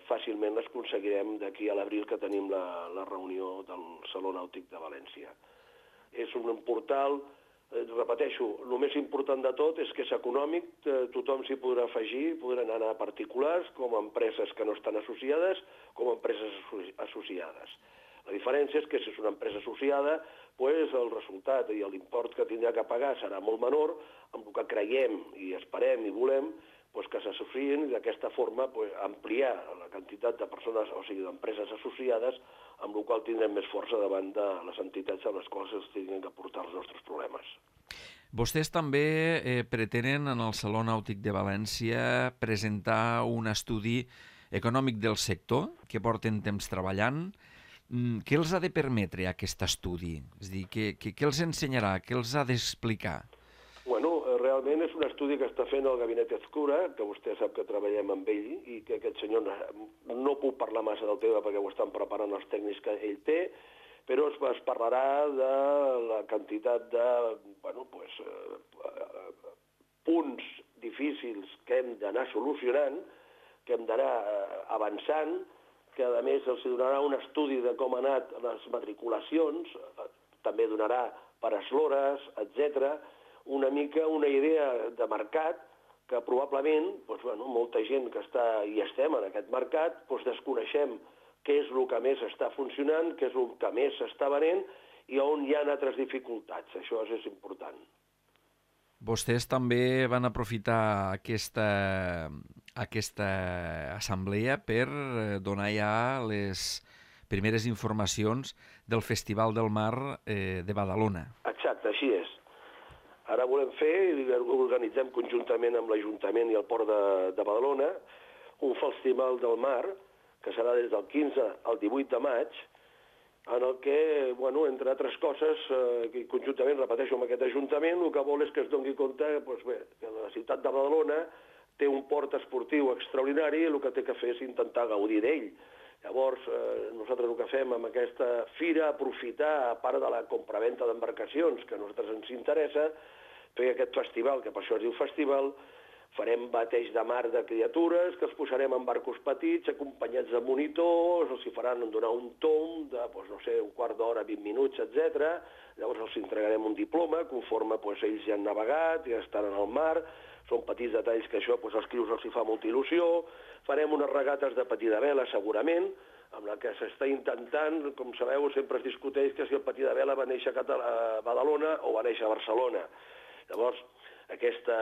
fàcilment les aconseguirem d'aquí a l'abril que tenim la, la reunió del Saló Nàutic de València. És un portal, eh, repeteixo, el més important de tot és que és econòmic, eh, tothom s'hi podrà afegir, podran anar a particulars, com a empreses que no estan associades, com a empreses associades. La diferència és que si és una empresa associada, pues, el resultat i l'import que tindrà que pagar serà molt menor, amb el que creiem i esperem i volem pues, que s'associïn i d'aquesta forma pues, ampliar la quantitat de persones, o sigui, d'empreses associades, amb el qual tindrem més força davant de les entitats amb les quals es tinguin que portar els nostres problemes. Vostès també eh, pretenen en el Saló Nàutic de València presentar un estudi econòmic del sector que porten temps treballant. Què els ha de permetre aquest estudi? És a dir, què, què, què els ensenyarà? Què els ha d'explicar? Bueno, realment és un estudi que està fent el Gabinet Ezcura, que vostè sap que treballem amb ell i que aquest senyor no puc parlar massa del tema perquè ho estan preparant els tècnics que ell té, però es, es parlarà de la quantitat de bueno, pues, eh, punts difícils que hem d'anar solucionant, que hem d'anar avançant, que a més els donarà un estudi de com han anat les matriculacions, també donarà per eslores, etcètera, una mica una idea de mercat que probablement doncs, bueno, molta gent que està i estem en aquest mercat doncs, desconeixem què és el que més està funcionant, què és el que més s'està venent i on hi ha altres dificultats. Això és important. Vostès també van aprofitar aquesta, aquesta assemblea per donar ja les primeres informacions del Festival del Mar eh, de Badalona. Exacte, així és. Ara volem fer, i organitzem conjuntament amb l'Ajuntament i el Port de, de Badalona, un Festival del Mar, que serà des del quinze al divuit de maig, en el que, bueno, entre altres coses, eh, conjuntament, repeteixo, amb aquest Ajuntament, el que vol és que es doni compte doncs bé, que la ciutat de Badalona té un port esportiu extraordinari i el que té que fer és intentar gaudir d'ell. Llavors, eh, nosaltres el que fem amb aquesta fira, aprofitar, a part de la compraventa d'embarcacions, que a nosaltres ens interessa, fer aquest festival, que per això es diu festival, farem bateig de mar de criatures, que els posarem en barcos petits, acompanyats de monitors, els hi faran donar un tom de, doncs, no sé, un quart d'hora, vint minuts, etcètera. Llavors els entregarem un diploma, conforme doncs, ells ja han navegat, ja estan en el mar, són petits detalls que això doncs, als crios els hi fa molta il·lusió. Farem unes regates de patí de vela, segurament, amb la que s'està intentant, com sabeu, sempre es discuteix que si el patí de vela va néixer a Badalona o va néixer a Barcelona. Llavors, aquesta,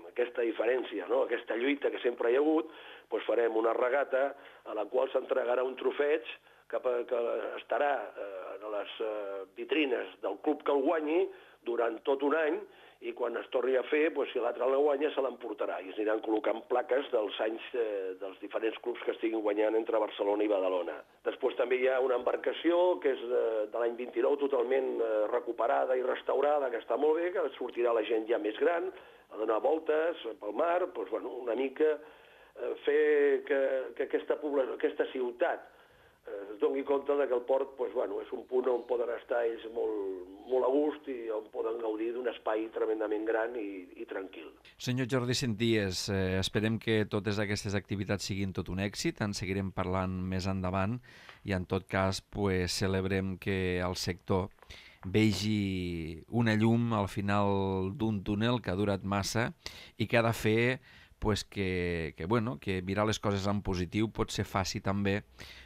aquesta diferència, no? Aquesta lluita que sempre hi ha hagut, doncs farem una regata a la qual s'entregarà un trofeig que, que estarà eh, en les eh, vitrines del club que el guanyi durant tot un any, i quan es torni a fer, doncs, si l'altre la guanya, se l'emportarà. I es aniran col·locant plaques dels anys eh, dels diferents clubs que estiguin guanyant entre Barcelona i Badalona. Després també hi ha una embarcació que és de, de l'any vint-i-nou, totalment eh, recuperada i restaurada, que està molt bé, que sortirà la gent ja més gran, a donar voltes pel mar, doncs, bueno, una mica eh, fer que, que aquesta, població, aquesta ciutat es doni compte que el port doncs, bueno, és un punt on poden estar ells molt, molt a gust i on poden gaudir d'un espai tremendament gran i, i tranquil. Senyor Jordi Senties, eh, esperem que totes aquestes activitats siguin tot un èxit, en seguirem parlant més endavant i en tot cas pues, celebrem que el sector vegi una llum al final d'un túnel que ha durat massa i que ha de fer pues, que, que, bueno, que mirar les coses en positiu potser faci també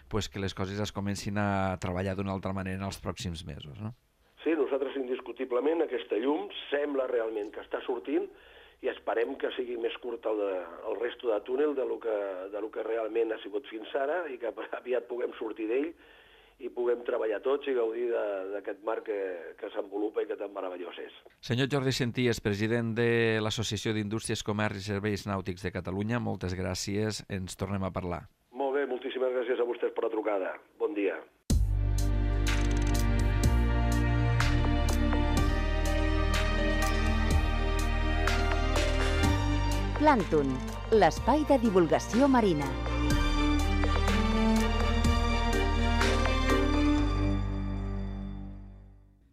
pues, que les coses es comencin a treballar d'una altra manera en els pròxims mesos, no? Sí, nosaltres indiscutiblement aquesta llum sembla realment que està sortint i esperem que sigui més curt el, de, el resto de túnel de lo, que, de lo que realment ha sigut fins ara i que aviat puguem sortir d'ell i puguem treballar tots i gaudir d'aquest mar que, que s'envolupa i que tan meravellós és. Senyor Jordi Senties, president de l'Associació d'Indústries, Comerç i Serveis Nàutics de Catalunya, moltes gràcies, ens tornem a parlar. Molt bé, moltíssimes gràcies a vostès per la trucada. Bon dia. Plàncton, l'espai de divulgació marina.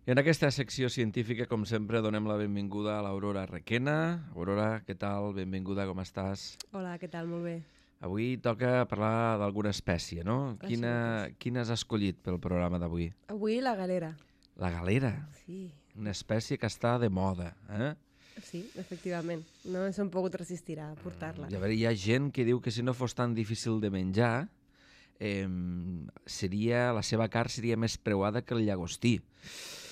I en aquesta secció científica, com sempre, donem la benvinguda a l'Aurora Requena. Aurora, què tal? Benvinguda, com estàs? Hola, què tal? Molt bé. Avui toca parlar d'alguna espècie, no? Quina, quina has escollit pel programa d'avui? Avui la galera. La galera? Sí. Una espècie que està de moda, eh? Sí, efectivament. No ens hem pogut resistir a portar-la. Mm, hi ha gent que diu que si no fos tan difícil de menjar, eh, seria, la seva carn seria més preuada que el llagostí.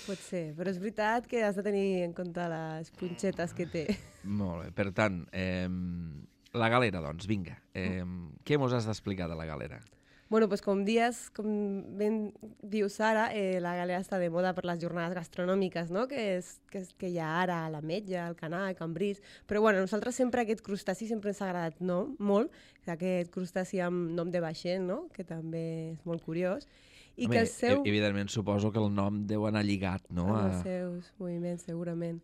Pot ser, però és veritat que has de tenir en compte les punxetes que té. Molt bé, per tant, eh, la galera, doncs, vinga. Eh, què mos has d'explicar de la galera? Bueno, doncs com dies, com ben dius ara, eh, la galera està de moda per les jornades gastronòmiques, no? Que, és, que, és, que hi ha ara a l'Ametlla, al Canà, a Cambrils. Però bueno, a nosaltres sempre aquest crustaci sempre ens ha agradat no? molt, aquest crustaci amb nom de vaixell, no? Que també és molt curiós. I Home, que el seu... evidentment suposo que el nom deu anar lligat, no? Amb els seus moviments, segurament.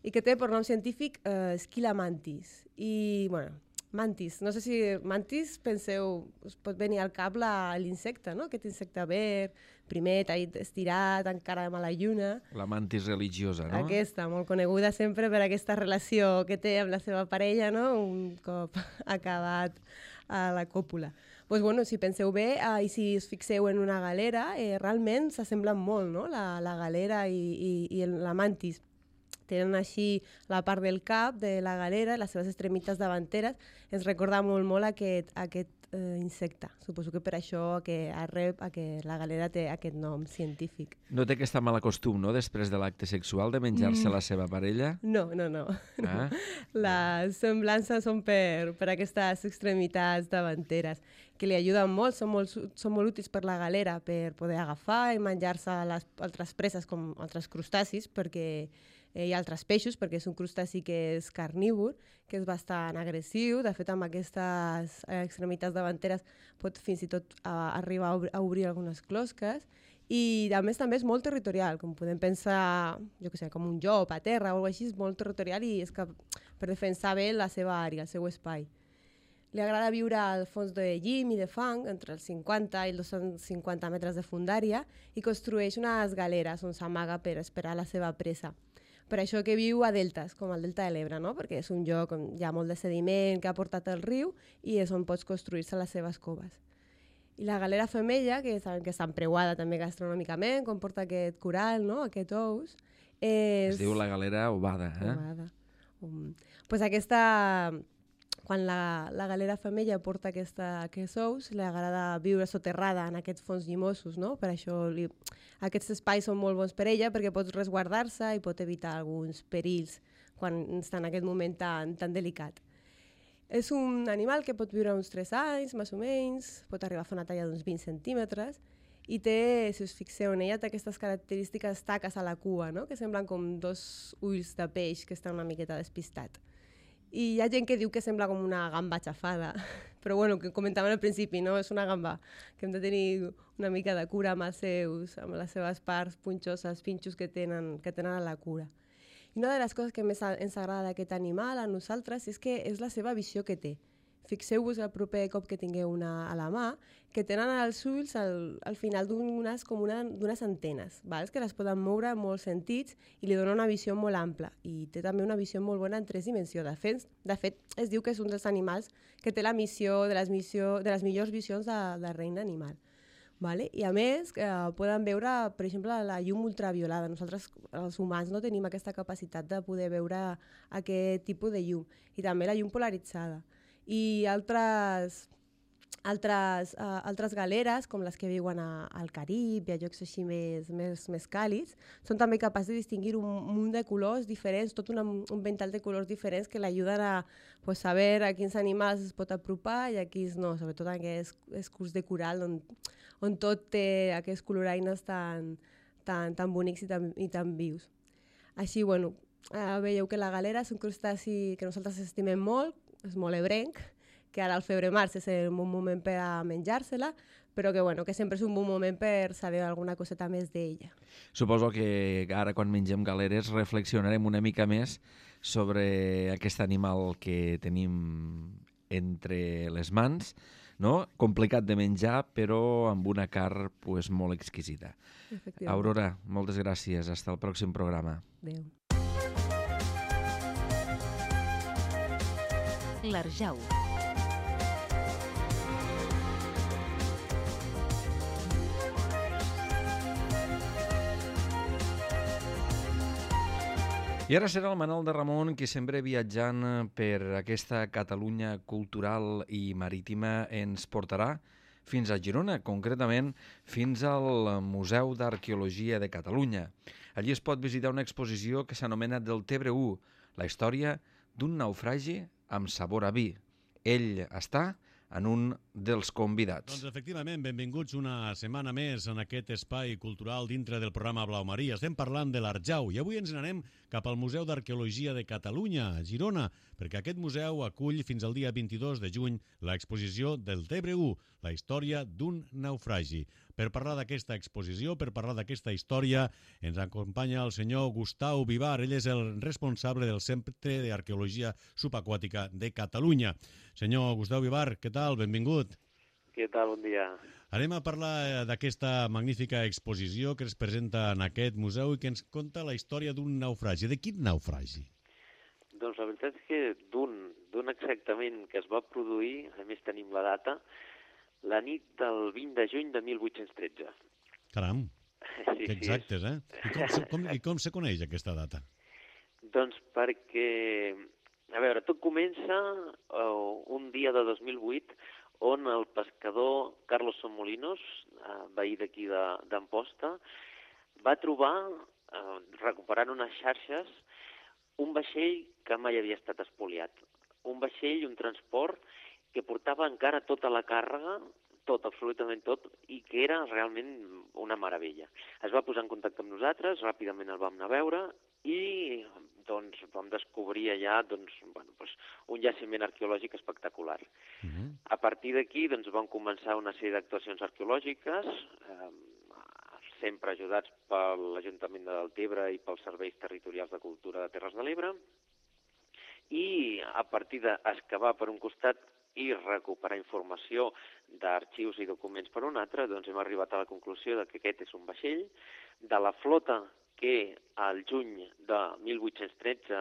I que té per nom científic eh, Esquila mantis. I, bueno, mantis. No sé si mantis, penseu, us pot venir al cap la- l'insecte, no? Aquest insecte verd, primer, tallit, estirat, encara amb la lluna. La mantis religiosa, no? Aquesta, molt coneguda sempre per aquesta relació que té amb la seva parella, no? Un cop acabat a la còpula. Pues, bueno, si penseu bé eh, i si us fixeu en una galera, eh, realment s'assemblen molt, no? La, la galera i, i, i el- la mantis. Tenen així la part del cap de la galera, les seves extremitats davanteres. Ens recorda molt, molt aquest, aquest eh, insecte. Suposo que per això que arrep a que la galera té aquest nom científic. No té aquest mal costum, no?, després de l'acte sexual, de menjar-se Mm. la seva parella? No, no, no. Ah. Les semblances són per, per aquestes extremitats davanteres, que li ajuden molt, són molt, su- són molt útils per la galera, per poder agafar i menjar-se les altres preses com altres crustacis, perquè eh, hi ha altres peixos, perquè és un crustaci que és carnívor, que és bastant agressiu. De fet, amb aquestes eh, extremitats davanteres pot fins i tot eh, arribar a, obri, a obrir algunes closques. I a més també és molt territorial, com podem pensar, jo què sé, com un llop a terra o alguna cosa així, és molt territorial i és que per defensar bé la seva àrea, el seu espai. Li agrada viure al fons de llim i de fang, entre els cinquanta i els dos-cents cinquanta metres de fundària, i construeix unes galeres on s'amaga per esperar la seva presa. Per això que viu a deltes, com el delta de l'Ebre, no? Perquè és un lloc on hi ha molt de sediment que ha portat el riu i és on pots construir-se les seves coves. I la galera femella, que sabem que està empreuada també gastronòmicament, com porta aquest coral, no? Aquest ous, és... Es diu la galera ovada, eh? Ovada. Um, pues aquesta... Quan la, la galera femella porta aquesta, aquests ous, li agrada viure soterrada en aquests fons llimosos, no? Per això li, aquests espais són molt bons per ella, perquè pots resguardar-se i pot evitar alguns perills quan està en aquest moment tan, tan delicat. És un animal que pot viure uns tres anys, més o menys, pot arribar a fer una talla d'uns vint centímetres, i té, si us fixeu en ella, té aquestes característiques taques a la cua, no? Que semblen com dos ulls de peix que estan una miqueta despistat. I hi ha gent que diu que sembla com una gamba xafada, però bueno, que comentàvem al principi, no? És una gamba que hem de tenir una mica de cura amb els seus, amb les seves parts punxoses, pinxos que tenen, que tenen a la cura. I una de les coses que més ens agrada d'aquest animal a nosaltres és que és la seva visió que té. Fixeu-vos el proper cop que tingueu una a la mà, que tenen els ulls al, al final d'unes com una, d'unes antenes, vals? Que les poden moure en molts sentits i li dona una visió molt ampla. I té també una visió molt bona en tres dimensions. De fet, de fet es diu que és un dels animals que té la missió de les, missió, de les millors visions de, de reina animal. Vale? I a més, eh, poden veure, per exemple, la llum ultraviolada. Nosaltres, els humans, no tenim aquesta capacitat de poder veure aquest tipus de llum. I també la llum polaritzada. I altres, altres, uh, altres galeres, com les que viuen a, al Carib i a llocs així més, més, més càlids, són també capaços de distingir un munt de colors diferents, tot una, un ventall de colors diferents que l'ajuden a pues, saber a quins animals es pot apropar i a quins no, sobretot en aquests escurs de coral on, on tot té aquests coloraines tan, tan, tan bonics i tan, i tan vius. Així, bueno, uh, veieu que la galera és un crustaci que nosaltres estimem molt, és molt ebrenc, que ara al febrer-març és un bon moment per a menjar-se-la, però que, bueno, que sempre és un bon moment per saber alguna coseta més d'ella. Suposo que ara quan mengem galeres reflexionarem una mica més sobre aquest animal que tenim entre les mans, no? Complicat de menjar, però amb una carn pues, molt exquisita. Aurora, moltes gràcies. Hasta el pròxim programa. Adéu. L'Arjau. I ara serà el Manol de Ramon qui sempre viatjant per aquesta Catalunya cultural i marítima ens portarà fins a Girona, concretament fins al Museu d'Arqueologia de Catalunya. Allí es pot visitar una exposició que s'anomena Del Tebre u, la història d'un naufragi amb sabor a vi. Ell està en un dels convidats. Doncs efectivament, benvinguts una setmana més en aquest espai cultural dintre del programa Blau Maria. Estem parlant de l'Arjau i avui ens n'anem cap al Museu d'Arqueologia de Catalunya, a Girona, perquè aquest museu acull fins al dia vint-i-dos de juny l'exposició Del Tebre u, la història d'un naufragi. Per parlar d'aquesta exposició, per parlar d'aquesta història, ens acompanya el senyor Gustau Vivar. Ell és el responsable del Centre d'Arqueologia Subaquàtica de Catalunya. Senyor Gustau Vivar, què tal? Benvingut. Què tal? Bon dia. Anem a parlar d'aquesta magnífica exposició que es presenta en aquest museu i que ens conta la història d'un naufragi. De quin naufragi? Doncs la veritat és que d'un, d'un exactament que es va produir, a més tenim la data, la nit del vint de juny de mil vuit-cents tretze. Caram, sí, que exactes, eh? I com, se, com, I com se coneix aquesta data? Doncs perquè, a veure, tot comença uh, un dia de dos mil vuit on el pescador Carlos Somolinos, uh, veí d'aquí d'Amposta, va trobar, uh, recuperant unes xarxes, un vaixell que mai havia estat espoliat. Un vaixell, un transport, que portava encara tota la càrrega, tot, absolutament tot, i que era realment una meravella. Es va posar en contacte amb nosaltres, ràpidament el vam anar a veure, i doncs, vam descobrir allà doncs, bueno, doncs, un jaciment arqueològic espectacular. Uh-huh. A partir d'aquí doncs, van començar una sèrie d'actuacions arqueològiques, eh, sempre ajudats per l'Ajuntament de Deltebre i pels Serveis Territorials de Cultura de Terres de l'Ebre, i a partir d'excavar per un costat i recuperar informació d'arxius i documents per un altre, doncs hem arribat a la conclusió de que aquest és un vaixell de la flota que al juny de mil vuit-cents tretze,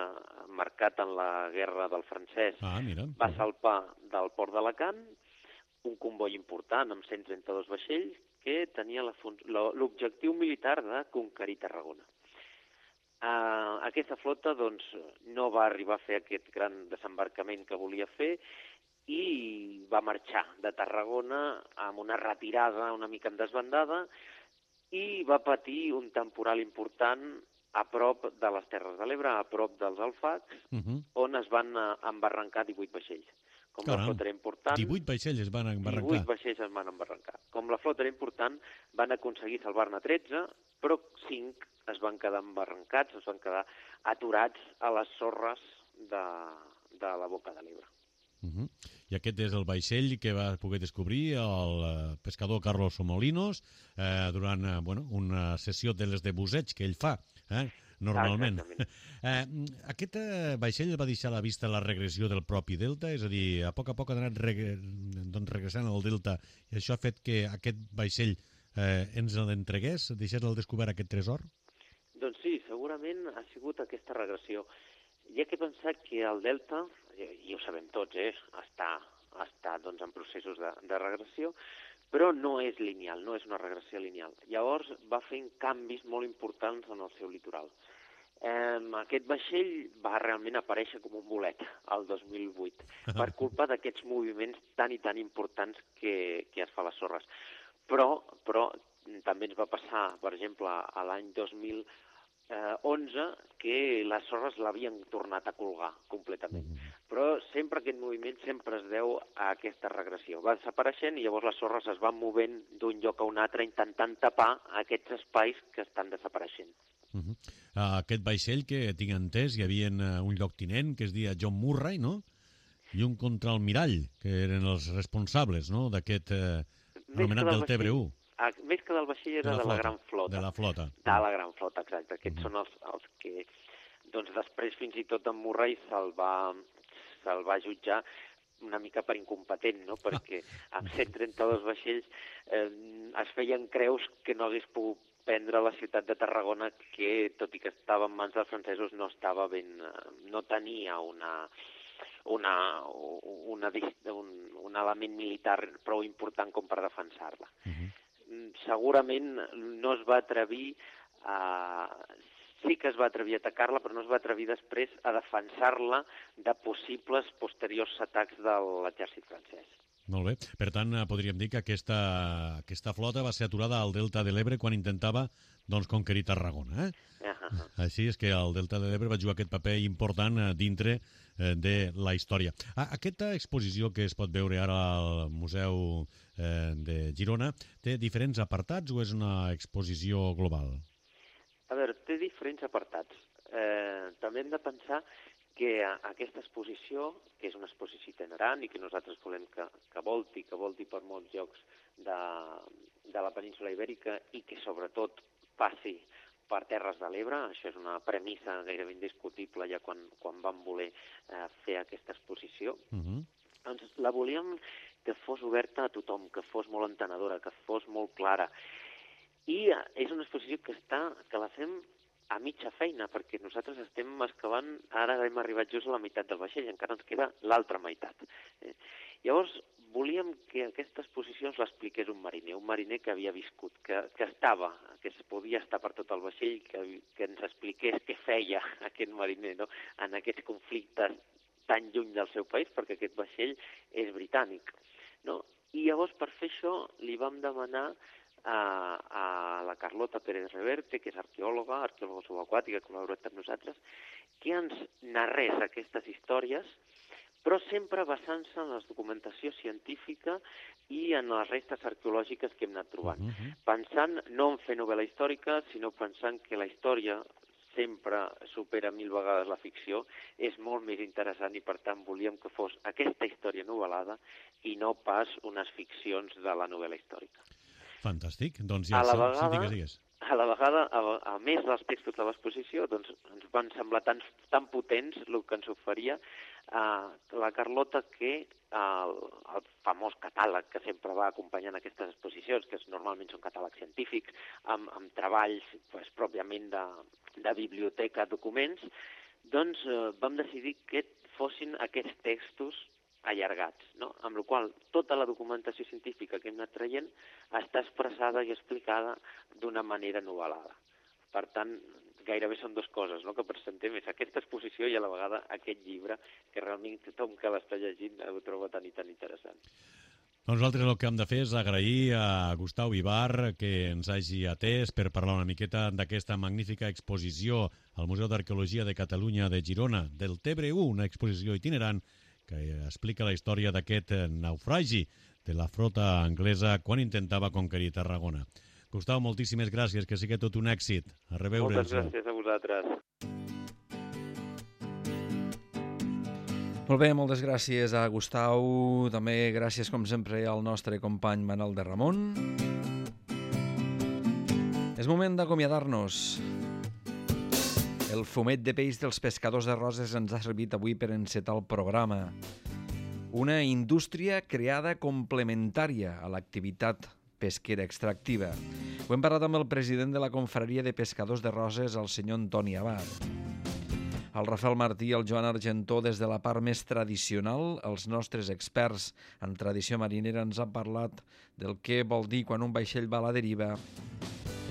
marcat en la Guerra del Francès, ah, mira. va salpar del port d'Alacant, un comboi important amb cent trenta-dos vaixells que tenia l'objectiu militar de conquerir Tarragona. Uh, aquesta flota doncs, no va arribar a fer aquest gran desembarcament que volia fer i va marxar de Tarragona amb una retirada una mica en desbandada i va patir un temporal important a prop de les Terres de l'Ebre, a prop dels Alfacs, uh-huh. on es van embarrancar divuit vaixells. Com Caram, la flota era important... divuit vaixells es van embarrancar. divuit vaixells es van embarrancar. Com la flota era important, van aconseguir salvar-ne tretze, però cinc es van quedar embarrancats, es van quedar aturats a les sorres de, de la boca de l'Ebre. Uh-huh. I aquest és el vaixell que va poder descobrir el pescador Carlos Somolinos eh, durant eh, bueno, una sessió de les de busseig que ell fa, eh, normalment. Eh, aquest eh, vaixell va deixar a la vista la regressió del propi delta, és a dir, a poc a poc ha anat reg doncs, regressant al delta i això ha fet que aquest vaixell eh, ens l'entregués, deixés al descobert aquest tresor? Doncs sí, segurament ha sigut aquesta regressió. Hi ha que pensar que el delta, i ho sabem tots, eh, està, està doncs, en processos de, de regressió, però no és lineal, no és una regressió lineal. Llavors va fent canvis molt importants en el seu litoral. Eh, aquest vaixell va realment aparèixer com un bolet el dos mil vuit per culpa d'aquests moviments tan i tan importants que, que es fa a les sorres. Però, però també ens va passar, per exemple, a l'any dos mil onze, que les sorres l'havien tornat a colgar completament. Però sempre aquest moviment sempre es deu a aquesta regressió. Va desapareixent i llavors les sorres es van movent d'un lloc a un altre intentant tapar aquests espais que estan desapareixent. Uh -huh. uh, aquest vaixell que tinc entès, hi havia uh, un lloctinent que es deia John Murray, no? I un contraalmirall, que eren els responsables, no?, d'aquest uh, anomenat del Tebre u. Ah, més que del vaixell era de la, de la gran flota. De la flota. De la gran flota, exacte. Aquests uh -huh. són els, els que, doncs després fins i tot en Murray se'l va, se'l va jutjar una mica per incompetent, no? Perquè amb cent trenta-dos vaixells eh, es feien creus que no hagués pogut prendre la ciutat de Tarragona, que tot i que estava en mans dels francesos no estava ben, no tenia una, una, una, un, un element militar prou important com per defensar-la. Uh -huh. Segurament no es va atrevir a... Sí que es va atrevir a atacar-la, però no es va atrevir després a defensar-la de possibles posteriors atacs de l'exèrcit francès. Molt bé. Per tant, podríem dir que aquesta, aquesta flota va ser aturada al Delta de l'Ebre quan intentava doncs, conquerir Tarragona. Eh? Uh -huh. Així és que el Delta de l'Ebre va jugar aquest paper important dintre de la història. Aquesta exposició que es pot veure ara al Museu de Girona té diferents apartats o és una exposició global? A veure, té diferents apartats. Eh, també hem de pensar que aquesta exposició, que és una exposició itinerant i que nosaltres volem que, que volti, que volti per molts llocs de, de la península Ibèrica i que sobretot passi per Terres de l'Ebre, això és una premissa gairebé indiscutible ja quan, quan vam voler eh, fer aquesta exposició. Uh-huh. Doncs la volíem que fos oberta a tothom, que fos molt entenedora, que fos molt clara. I eh, és una exposició que, està, que la fem a mitja feina, perquè nosaltres estem excavant, ara hem arribat just a la meitat del vaixell, encara ens queda l'altra meitat. Eh? Llavors, volíem que aquesta exposició ens l'expliqués un mariner, un mariner que havia viscut, que, que estava, que es podia estar per tot el vaixell, que, que ens expliqués què feia aquest mariner, no?, en aquests conflictes tan lluny del seu país, perquè aquest vaixell és britànic, no? I llavors, per fer això, li vam demanar a, a la Carlota Pérez Reverte, que és arqueòloga, arqueòloga subaquàtica, que ha col·laborat amb nosaltres, que ens narrés aquestes històries, però sempre basant-se en la documentació científica i en les restes arqueològiques que hem anat trobant. Uh-huh. Pensant no en fer novel·la històrica, sinó pensant que la història sempre supera mil vegades la ficció, és molt més interessant i, per tant, volíem que fos aquesta història novel·lada i no pas unes ficcions de la novel·la històrica. Fantàstic. Doncs ja a la vegada, sí, digues, digues. A la vegada, a, a més dels textos de l'exposició, doncs, ens van semblar tan, tan potents el que ens oferia eh, la Carlota que el, el famós catàleg que sempre va acompanyant aquestes exposicions, que normalment són catàlegs científics, amb, amb treballs pues, pròpiament de, de biblioteca, documents, doncs eh, vam decidir que fossin aquests textos allargats, no? Amb la qual tota la documentació científica que hem anat traient està expressada i explicada d'una manera novel·lada. Per tant, gairebé són dues coses, no?, que presentem, és aquesta exposició i a la vegada aquest llibre, que realment tothom que l'està llegint ho troba tan i tan interessant. Nosaltres el que hem de fer és agrair a Gustau Vivar que ens hagi atès per parlar una miqueta d'aquesta magnífica exposició al Museu d'Arqueologia de Catalunya de Girona, del Tebre u, una exposició itinerant que explica la història d'aquest naufragi de la flota anglesa quan intentava conquerir Tarragona. Gustau, moltíssimes gràcies, que sigui tot un èxit. A reveure. Moltes gràcies a vosaltres. Molt bé, moltes gràcies a Gustau. També gràcies, com sempre, al nostre company Manel de Ramon. És moment d'acomiadar-nos. El fumet de peix dels pescadors de Roses ens ha servit avui per encetar el programa. Una indústria creada complementària a l'activitat pesquera extractiva. Ho hem parlat amb el president de la Confraria de Pescadors de Roses, el senyor Antoni Abad. El Rafael Martí i el Joan Argentó, des de la part més tradicional, els nostres experts en tradició marinera ens han parlat del que vol dir quan un vaixell va a la deriva.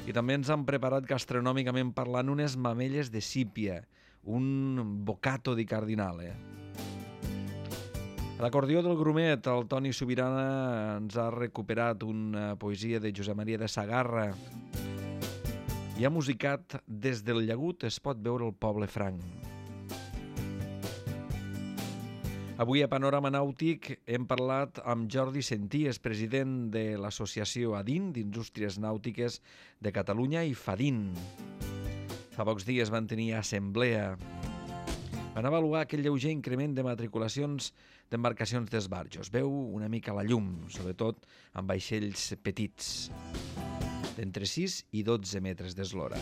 I també ens han preparat gastronòmicament parlant unes mamelles de sípia, un bocato di cardinale. A l'acordió del grumet, el Toni Subirana ens ha recuperat una poesia de Josep Maria de Sagarra i ha musicat Des del llagut es pot veure el poble franc. Avui a Panorama Nàutic hem parlat amb Jordi Senties, president de l'associació ADIN, d'Indústries Nàutiques de Catalunya, i FADIN. Fa pocs dies van tenir assemblea. Van avaluar aquell lleuger increment de matriculacions d'embarcacions d'esbarjos. Veu una mica la llum, sobretot amb vaixells petits, d'entre sis i dotze metres d'eslora.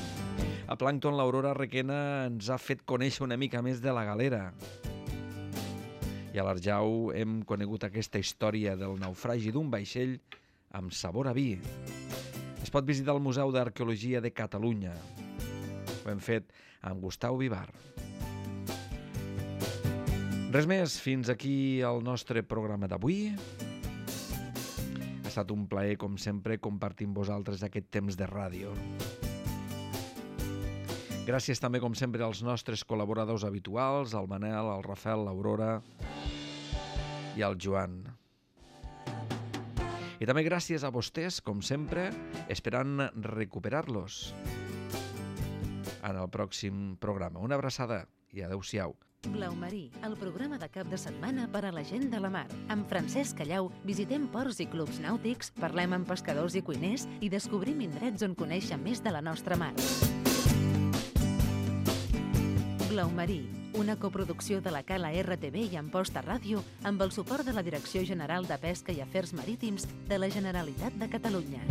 A Plàncton, l'Aurora Requena ens ha fet conèixer una mica més de la galera. I a l'Arjau hem conegut aquesta història del naufragi d'un vaixell amb sabor a vi. Es pot visitar el Museu d'Arqueologia de Catalunya. Ho hem fet amb Gustau Vivar. Res més, fins aquí el nostre programa d'avui. Ha estat un plaer, com sempre, compartir amb vosaltres aquest temps de ràdio. Gràcies també, com sempre, als nostres col·laboradors habituals, al Manel, al Rafael, l'Aurora i al Joan. I també gràcies a vostès, com sempre, esperant recuperar-los en el pròxim programa. Una abraçada i adeu-siau. Blaumarí, el programa de cap de setmana per a la gent de la mar. Amb Francesc Callau visitem ports i clubs nàutics, parlem amb pescadors i cuiners i descobrim indrets on conèixer més de la nostra mar. Blaumarí, una coproducció de la Cala R T V i Amposta Ràdio amb el suport de la Direcció General de Pesca i Afers Marítims de la Generalitat de Catalunya.